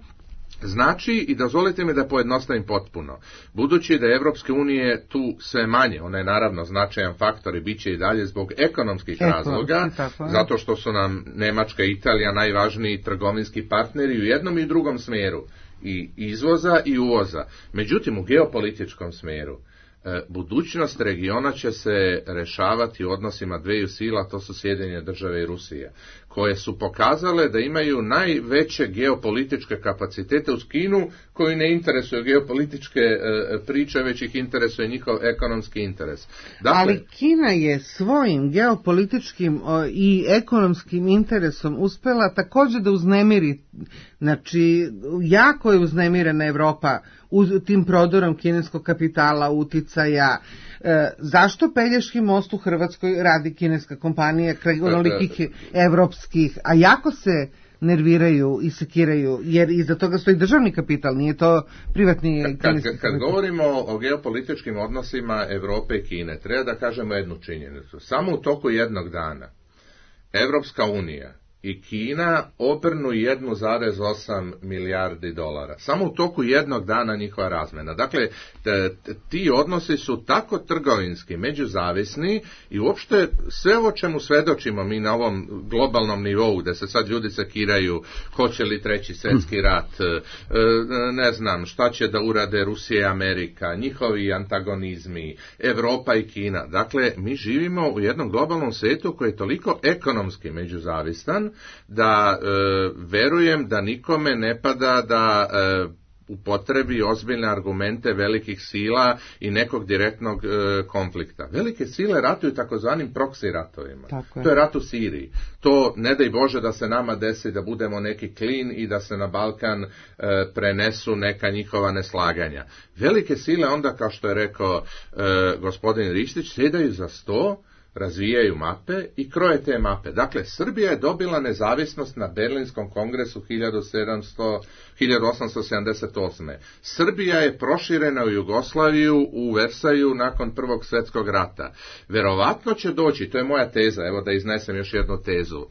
D: znači, i dozvolite mi da pojednostavim potpuno, budući da je Evropske unije tu sve manje, ona je naravno značajan faktor i bit će i dalje zbog ekonomskih razloga, zato što su nam Nemačka i Italija najvažniji trgovinski partneri u jednom i drugom smjeru, i izvoza i uvoza. Međutim, u geopolitičkom smjeru, budućnost regiona će se rešavati u odnosima dveju sila, to su Sjedinjene države i Rusija, koje su pokazale da imaju najveće geopolitičke kapacitete uz Kinu, koji ne interesuju geopolitičke priče, već ih interesuje njihov ekonomski interes. Dakle,
B: ali Kina je svojim geopolitičkim i ekonomskim interesom uspela također da uznemiri, znači jako je uznemirena Evropa tim prodorom kineskog kapitala, uticaja. Zašto Pelješki most u Hrvatskoj radi kineska kompanija kraj onolikih evropskih, a jako se nerviraju i sekiraju, jer iza toga stoji državni kapital, nije to privatni kineski kapital.
D: Kad govorimo o geopolitičkim odnosima Evrope i Kine, treba da kažemo jednu činjenicu. Samo u toku jednog dana Evropska unija i Kina obrnu 1,8 milijardi dolara. Samo u toku jednog dana njihova razmena. Dakle, ti odnosi su tako trgovinski, međuzavisni i uopšte sve o čemu svedočimo mi na ovom globalnom nivou, gde se sad ljudi sekiraju hoće li treći svjetski rat, ne znam šta će da urade Rusija i Amerika, njihovi antagonizmi, Evropa i Kina. Dakle, mi živimo u jednom globalnom svijetu koji je toliko ekonomski međuzavistan da verujem da nikome ne pada da upotrebi ozbiljne argumente velikih sila i nekog direktnog konflikta. Velike sile ratuju takozvanim proksi ratovima. To je rat u Siriji. to ne daj Bože da se nama desi da budemo neki klin i da se na Balkan prenesu neka njihova neslaganja. Velike sile onda, kao što je rekao gospodin Ristić, sjedaju za sto, razvijaju mape i kroje te mape. Dakle, Srbija je dobila nezavisnost na Berlinskom kongresu 1878. Srbija je proširena u Jugoslaviju, u Versaju nakon Prvog svjetskog rata. Verovatno će doći, to je moja teza, evo da iznesem još jednu tezu.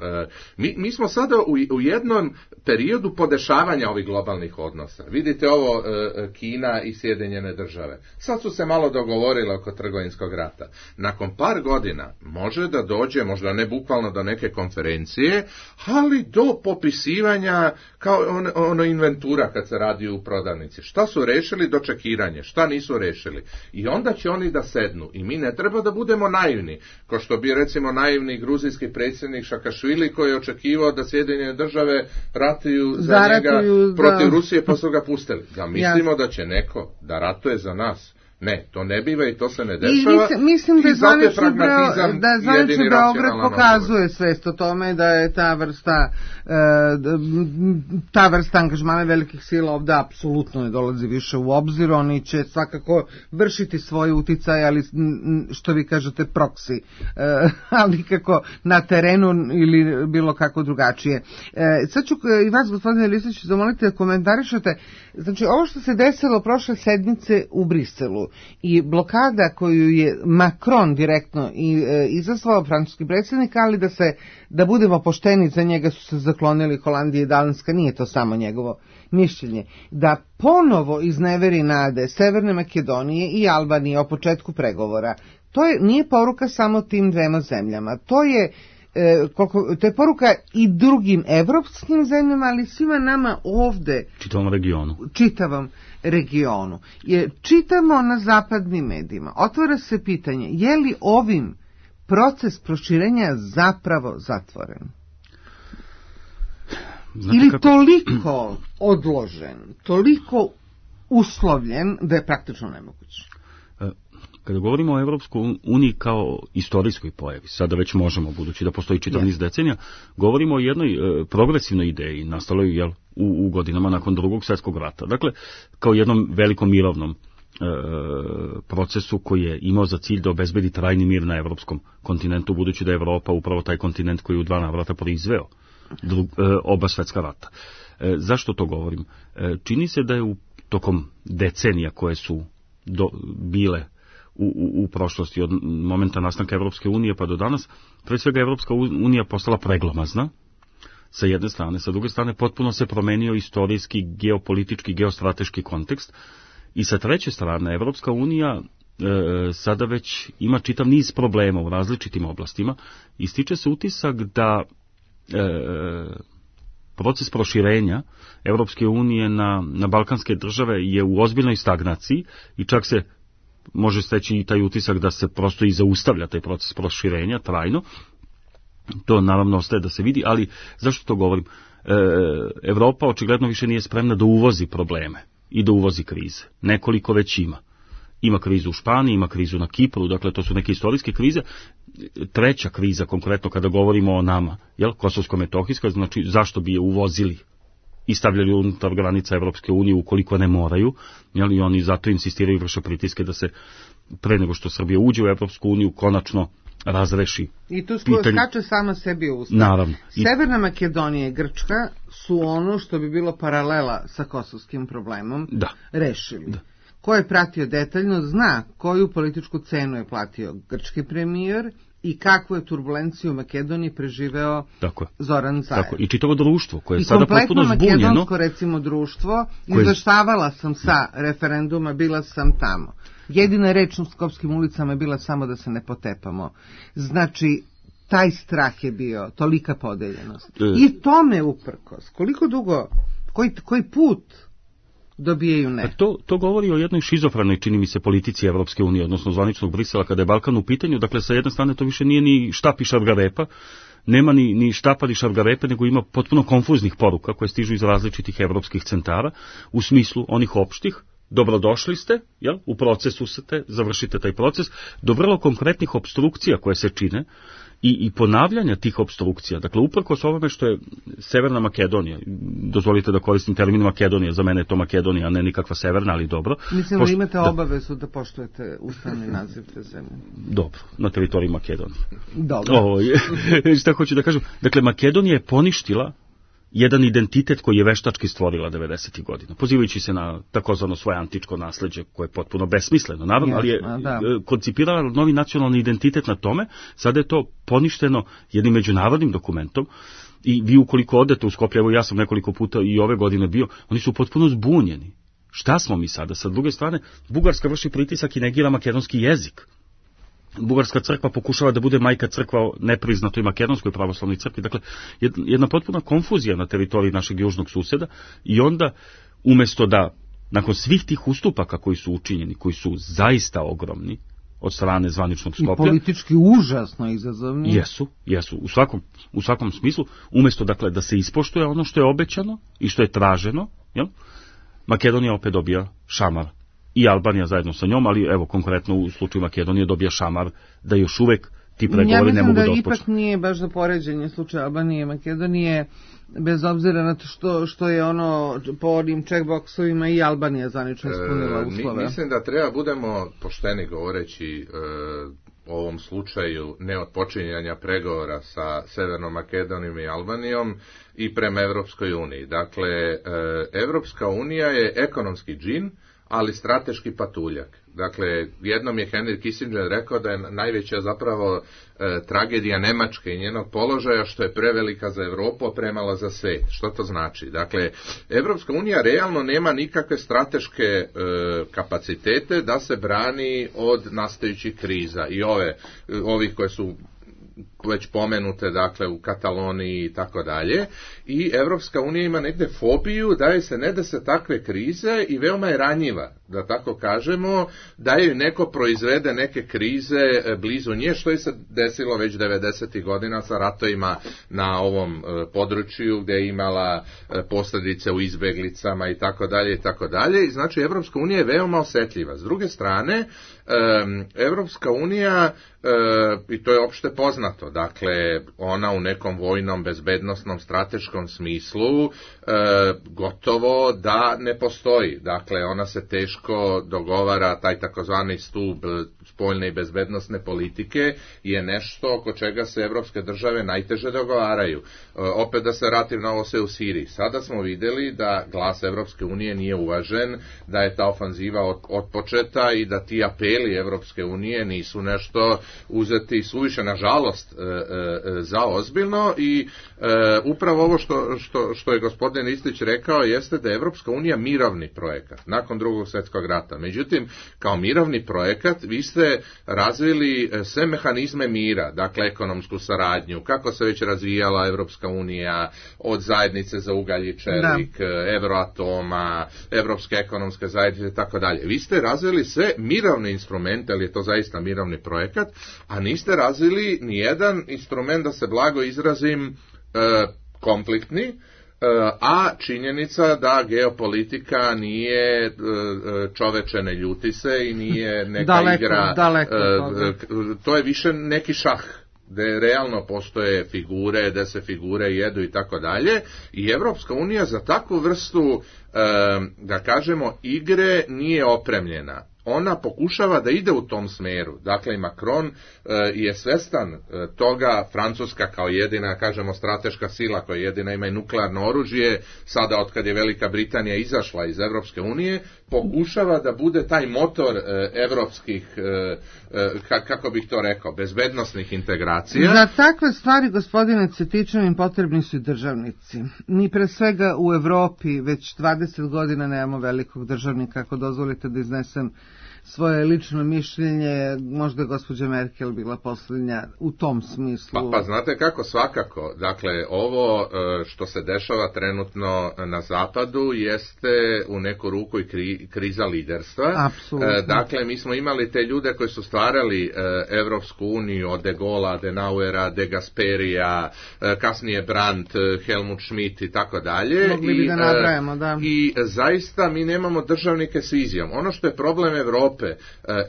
D: Mi smo sada u jednom periodu podešavanja ovih globalnih odnosa. Vidite ovo Kina i Sjedinjene države. Sad su se malo dogovorile oko trgovinskog rata. Nakon par godina može da dođe, možda ne bukvalno do neke konferencije, ali do popisivanja kao ono inventura kad se radi u prodavnici. Šta su rešili? Dočekiranje. Šta nisu rešili? I onda će oni da sednu. I mi ne treba da budemo naivni. Kao što bi recimo naivni gruzijski predsjednik Šakašvili koji je očekivao da Sjedinjene države ratuju za njega protiv Rusije pa su ga pustili. Da mislimo da će neko da ratuje za nas. Ne, to ne biva i to se ne dešava.
B: Mislim da zvanično Beograd pokazuje svest o tome da je ta vrsta angažmana velikih sila ovdje apsolutno ne dolazi više u obzir. Oni će svakako vršiti svoj uticaj, ali što vi kažete proksi, ali kako na terenu ili bilo kako drugačije. Sad ću i vas, gospodine Listić, zamoliti da komentarišete. Znači, ovo što se desilo prošle sedmice u Briselu i blokada koju je Macron direktno izazvao, francuski predsjednik, ali da budemo pošteni, za njega su se zaklonili Holandija i Danska, nije to samo njegovo mišljenje, da ponovo izneveri nade Severne Makedonije i Albanije o početku pregovora. Nije poruka samo tim dvema zemljama, to je poruka i drugim evropskim zemljama, ali svima nama ovde, čitavom regionu. Čitamo na zapadnim medijima, otvara se pitanje, je li ovim proces proširenja zapravo zatvoren? Ili toliko odložen, toliko uslovljen da je praktično nemoguće?
C: Kada govorimo o Evropskoj uniji kao istorijskoj pojavi, sada već možemo, budući da postoji čitav niz decenija, govorimo o jednoj progresivnoj ideji, nastaloj u godinama nakon Drugog svjetskog rata. Dakle, kao jednom velikom mirovnom procesu koji je imao za cilj da obezbedi trajni mir na evropskom kontinentu, budući da je Evropa upravo taj kontinent koji je u 2 navrata proizveo oba svjetska rata. Zašto to govorim? Čini se da je tokom decenija koje su bile u prošlosti, od momenta nastanka Evropske unije pa do danas, pre svega Evropska unija postala preglomazna, sa jedne strane, sa druge strane potpuno se promenio istorijski, geopolitički, geostrateški kontekst, i sa treće strane Evropska unija sada već ima čitav niz problema u različitim oblastima i stiče se utisak da proces proširenja Evropske unije na balkanske države je u ozbiljnoj stagnaciji i čak se može steći i taj utisak da se prosto i zaustavlja taj proces proširenja trajno. To naravno ostaje da se vidi, ali zašto to govorim? Evropa očigledno više nije spremna da uvozi probleme i da uvozi krize. Nekoliko već ima. Ima krizu u Španiji, ima krizu na Kipru, dakle to su neke istorijske krize. Treća kriza, konkretno kada govorimo o nama, Kosovsko-Metohijska, znači zašto bi je uvozili i stavljali unutar granica Evropske unije ukoliko ne moraju, i oni zato insistiraju i vrše pritiske da se pre nego što Srbija uđe u Evropsku uniju konačno razreši.
B: I tu skače sama sebi u usta.
C: Naravno.
B: Severna Makedonija i Grčka su ono što bi bilo paralela sa kosovskim problemom rešili. Da. Ko je pratio detaljno zna koju političku cenu je platio grčki premijer i kakvu je turbulenciju u Makedoniji preživeo Zoran Zaev.
C: I čitavo društvo koje je sada potpuno zbunjeno. I kompletno
B: makedonsko, recimo, društvo, izveštavala sam sa referenduma, bila sam tamo. Jedina reč u Skopskim ulicama je bila samo da se ne potepamo. Znači, taj strah je bio, tolika podeljenost. I tome uprkos. Koliko dugo, koji put dobijaju ne?
C: To govori o jednoj šizofrenoj, čini mi se, politici Evropske unije, odnosno zvaničnog Brisela, kada je Balkan u pitanju. Dakle, sa jedne strane to više nije ni štap i šargarepa, nema ni štapa ni šargarepe, nego ima potpuno konfuznih poruka koje stižu iz različitih evropskih centara, u smislu onih opštih, dobrodošli ste, u procesu ste, završite taj proces, do vrlo konkretnih opstrukcija koje se čine i ponavljanja tih opstrukcija. Dakle, uprkos ovome što je Severna Makedonija, dozvolite da koristim termin Makedonija, za mene je to Makedonija, a ne nikakva severna, ali dobro.
B: Mislim da imate obavezu da poštujete ustavni naziv te zemlje.
C: Dobro, na teritoriji Makedonije.
B: Dobro.
C: Šta hoću da kažem? Dakle, Makedonija je poništila jedan identitet koji je veštački stvorila 90. godina, pozivajući se na takozvano svoje antičko nasleđe, koje je potpuno besmisleno, naravno, ali je koncipirala novi nacionalni identitet na tome. Sada je to poništeno jednim međunarodnim dokumentom i vi ukoliko odete u Skoplje, evo ja sam nekoliko puta i ove godine bio, oni su potpuno zbunjeni. Šta smo mi sada? Sa druge strane, Bugarska vrši pritisak i negira makedonski jezik. Bugarska crkva pokušava da bude majka crkva nepriznatoj makedonskoj pravoslavnoj crkvi. Dakle, jedna potpuna konfuzija na teritoriji našeg južnog suseda i onda, umesto da, nakon svih tih ustupaka koji su učinjeni, koji su zaista ogromni od strane zvaničnog Skoplja.
B: I politički užasno izazovni.
C: Jesu, u svakom smislu, umesto dakle da se ispoštuje ono što je obećano i što je traženo, jel? Makedonija opet dobija šamar. I Albanija zajedno sa njom, ali evo konkretno u slučaju Makedonije dobija šamar da još uvek ti pregovori ne mogu da otpočnu.
B: Ja mislim da ipak nije baš za poređenje slučaja Albanije i Makedonije, bez obzira na to što je ono po onim checkboxovima i Albanija zvanično ispunila uslove.
D: Mislim da treba budemo pošteni govoreći o ovom slučaju neotpočinjanja pregovora sa Severnom Makedonijom i Albanijom i prema Evropskoj uniji. Dakle, Evropska unija je ekonomski džin, ali strateški patuljak. Dakle, jednom je Henry Kissinger rekao da je najveća zapravo tragedija Nemačke i njenog položaja što je prevelika za Europu, a premala za svet. Što to znači? Dakle, Evropska unija realno nema nikakve strateške kapacitete da se brani od nastajućih kriza i ovih koje su već pomenute, dakle, u Kataloniji i tako dalje, i Evropska unija ima negde fobiju da je se ne da se takve krize i veoma je ranjiva, da tako kažemo, da je neko proizvede neke krize blizu nje, što je se desilo već 90. godina sa ratovima na ovom području, gdje je imala posljedice u izbeglicama i tako dalje i tako dalje. I znači, Evropska unija je veoma osjetljiva. S druge strane, Evropska unija, i to je opšte poznato, dakle, ona u nekom vojnom, bezbednosnom, strateškom smislu gotovo da ne postoji. Dakle, ona se teško dogovara, taj takozvani stup spoljne i bezbednosne politike je nešto oko čega se evropske države najteže dogovaraju. Opet da se vratim na ovo sve u Siriji. Sada smo vidjeli da glas Evropske unije nije uvažen, da je ta ofanziva otpočeta i da ti apeli Evropske unije nisu nešto uzeti suviše, nažalost, za ozbiljno i upravo ovo što je gospodin Ristić rekao jeste da je Evropska unija mirovni projekat nakon Drugog svjetskog rata. Međutim, kao mirovni projekat vi ste razvili sve mehanizme mira, dakle ekonomsku saradnju, kako se već razvijala Evropska unija od zajednice za ugalj i čelik, Euroatoma, Evropske ekonomske zajednice i tako dalje. Vi ste razvili sve mirovne instrumente, ali je to zaista mirovni projekat, a niste razvili ni jedan instrument, da se blago izrazim, konfliktni, a činjenica da geopolitika nije čoveče ne ljuti se i nije neka igra, to je više neki šah, gde realno postoje figure, gde se figure jedu i tako dalje, i Evropska unija za takvu vrstu, da kažemo, igre nije opremljena. Ona pokušava da ide u tom smeru. Dakle, Macron je svestan toga, Francuska kao jedina, kažemo, strateška sila koja jedina ima i nuklearno oružje, sada otkad je Velika Britanija izašla iz Evropske unije, pokušava da bude taj motor evropskih, kako bih to rekao, bezbednosnih integracija.
B: Za takve stvari, gospodine Cvetićanin, potrebni su i državnici. Mi pre svega u Evropi već 20 godina nemamo velikog državnika, ako dozvolite da iznesem svoje lično mišljenje, možda je gospođa Merkel bila posljednja u tom smislu.
D: Pa znate kako, svakako. Dakle, ovo što se dešava trenutno na zapadu jeste u neku ruku i kriza liderstva.
B: Apsolutno.
D: Dakle, mi smo imali te ljude koji su stvarali Evropsku uniju, od De Gaulle'a, Adenauera, De Gasperija, kasnije Brandt, Helmut Schmidt i tako dalje.
B: Mogli bi da nabrajamo, da.
D: I zaista mi nemamo državnike s vizijom. Ono što je problem Evrope Evrope,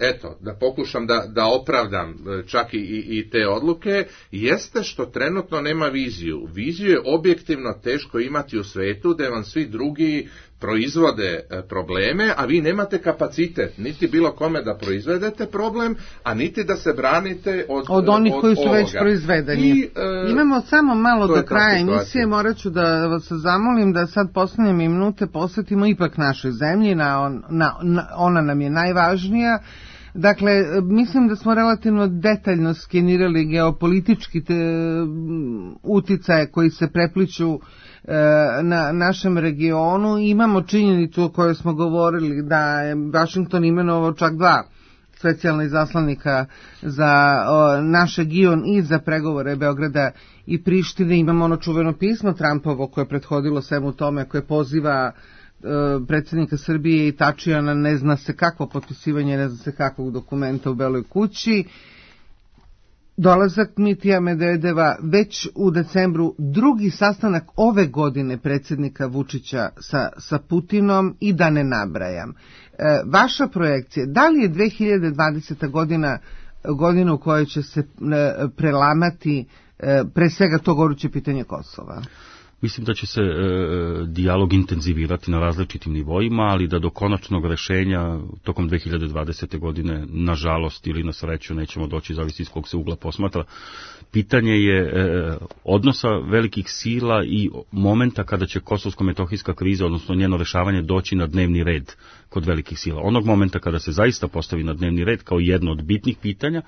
D: eto, da pokušam da opravdam čak i te odluke, jeste što trenutno nema viziju. Viziju je objektivno teško imati u svetu, da vam svi drugi proizvode probleme, a vi nemate kapacitet niti bilo kome da proizvedete problem, a niti da se branite od
B: onih koji su
D: ovoga.
B: Već proizvedeni. Imamo samo malo do kraja emisije, morat ću da vas zamolim da sad poslednje minute posvetimo ipak našoj zemlji, ona nam je najvažnija. Dakle, mislim da smo relativno detaljno skenirali geopolitički uticaje koji se prepliću na našem regionu. Imamo činjenicu o kojoj smo govorili da je Vašington imenovao čak 2 specijalna izaslanika za naš region i za pregovore Beograda i Prištine. Imamo ono čuveno pismo Trumpovo koje je prethodilo svemu tome, koje poziva predsjednika Srbije i Tačijana ne zna se kakvo potpisivanje, ne zna se kakvog dokumenta u Beloj kući. Dolazak Dmitija Medvedeva već u decembru, drugi sastanak ove godine predsjednika Vučića sa Putinom i da ne nabrajam. Vaša projekcija, da li je 2020. godina u kojoj će se prelamati pre svega to goruće pitanje Kosova?
C: Mislim da će se dijalog intenzivirati na različitim nivoima, ali da do konačnog rešenja tokom 2020. godine, nažalost ili na sreću, nećemo doći, zavisi iz kog se ugla posmatra. Pitanje je odnosa velikih sila i momenta kada će kosovsko-metohijska kriza, odnosno njeno rešavanje, doći na dnevni red kod velikih sila. Onog momenta kada se zaista postavi na dnevni red kao jedno od bitnih pitanja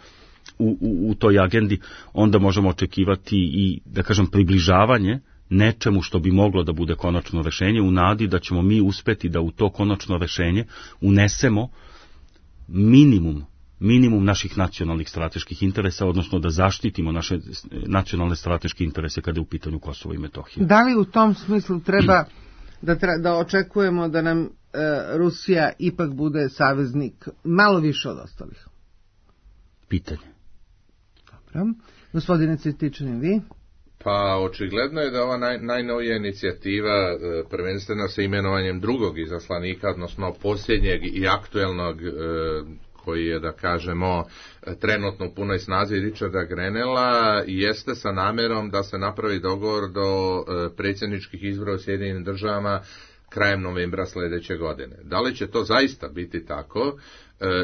C: u toj agendi, onda možemo očekivati i, da kažem, približavanje nečemu što bi moglo da bude konačno rešenje, u nadi da ćemo mi uspeti da u to konačno rešenje unesemo minimum naših nacionalnih strateških interesa, odnosno da zaštitimo naše nacionalne strateške interese kada je u pitanju Kosovo i Metohija.
B: Da li u tom smislu treba da očekujemo da nam Rusija ipak bude saveznik malo više od ostalih?
C: Pitanje.
B: Dobro. Gospodine Cvjetičanin, vi?
D: Pa očigledno je da ova najnovija inicijativa, prvenstveno sa imenovanjem drugog izaslanika, odnosno posljednjeg i aktuelnog, koji je, da kažemo, trenutno u punoj snazi, Richarda Grenella, jeste sa namerom da se napravi dogovor do predsjedničkih izbora u Sjedinjenim Državama krajem novembra sljedeće godine. Da li će to zaista biti tako,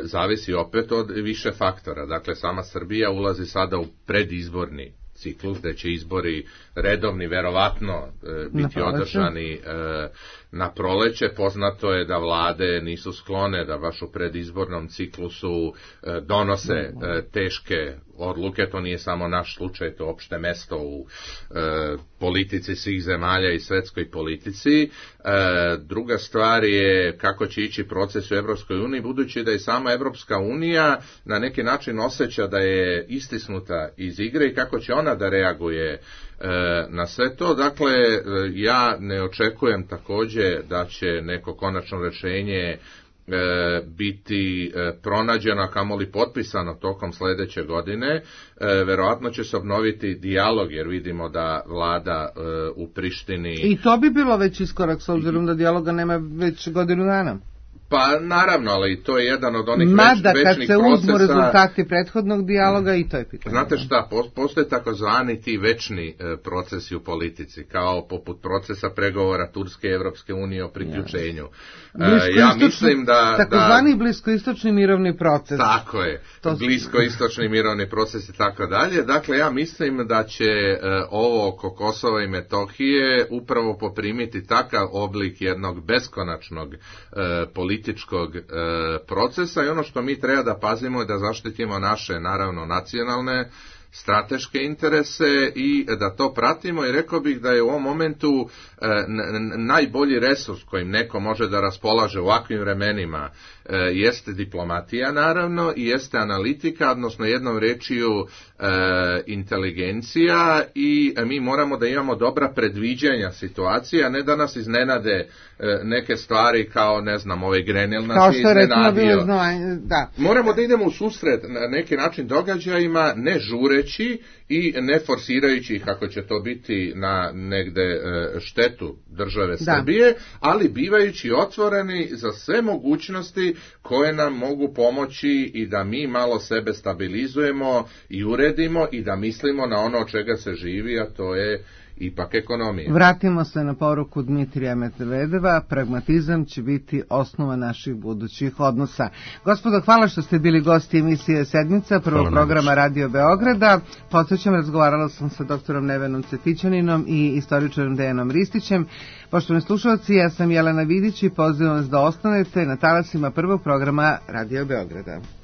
D: zavisi opet od više faktora. Dakle, sama Srbija ulazi sada u predizborni ciklus, gde će izbori redovni verovatno biti održani na proleće. Poznato je da vlade nisu sklone da baš u predizbornom ciklusu donose teške odluke. To nije samo naš slučaj, to opšte mesto u politici svih zemalja i svetskoj politici. Druga stvar je kako će ići proces u Evropskoj uniji, budući da i sama Evropska unija na neki način osjeća da je istisnuta iz igre i kako će ona da reaguje na sve to. Dakle, ja ne očekujem također da će neko konačno rješenje biti pronađeno, kamoli potpisano tokom sljedeće godine. Verovatno će se obnoviti dijalog, jer vidimo da vlada u Prištini...
B: I to bi bilo već iskorak, s obzirom da dijaloga nema već godinu dana.
D: Pa naravno, ali to je jedan od onih
B: večnih procesa.
D: Mada
B: kad se uzmu rezultati prethodnog dijaloga i to je pitanje.
D: Znate šta, postoje takozvani ti večni procesi u politici, kao poput procesa pregovora Turske i Evropske unije o priključenju. Ja mislim da...
B: Takozvani bliskoistočni mirovni proces.
D: Tako je, bliskoistočni mirovni proces i tako dalje. Dakle, ja mislim da će ovo oko Kosova i Metohije upravo poprimiti takav oblik jednog beskonačnog političkog procesa, i ono što mi treba da pazimo je da zaštitimo naše, naravno, nacionalne strateške interese i da to pratimo, i rekao bih da je u ovom momentu najbolji resurs kojim neko može da raspolaže u ovakvim vremenima jeste diplomatija, naravno, i jeste analitika, odnosno jednom rečju inteligencija, i mi moramo da imamo dobra predviđanja situacije, a ne da nas iznenade neke stvari kao, ne znam, ovaj Grenell nas je iznenadio.
B: Da.
D: Moramo da idemo u susret na neki način događajima, ne žureći, govoreći i ne forsirajući ih ako će to biti na negde štetu države Srbije, ali bivajući otvoreni za sve mogućnosti koje nam mogu pomoći i da mi malo sebe stabilizujemo i uredimo i da mislimo na ono od čega se živi, a to je ipak ekonomija.
B: Vratimo se na poruku Dmitrija Medvedeva, pragmatizam će biti osnova naših budućih odnosa. Gospodo, hvala što ste bili gosti emisije Sedmica, prvog programa Radio Beograda. Podsećam, razgovarala sam sa doktorom Nevenom Cvetićaninom i istoričarom Dejanom Ristićem. Poštovani slušalci, ja sam Jelena Vidić i pozivam vas da ostanete na talasima prvog programa Radio Beograda.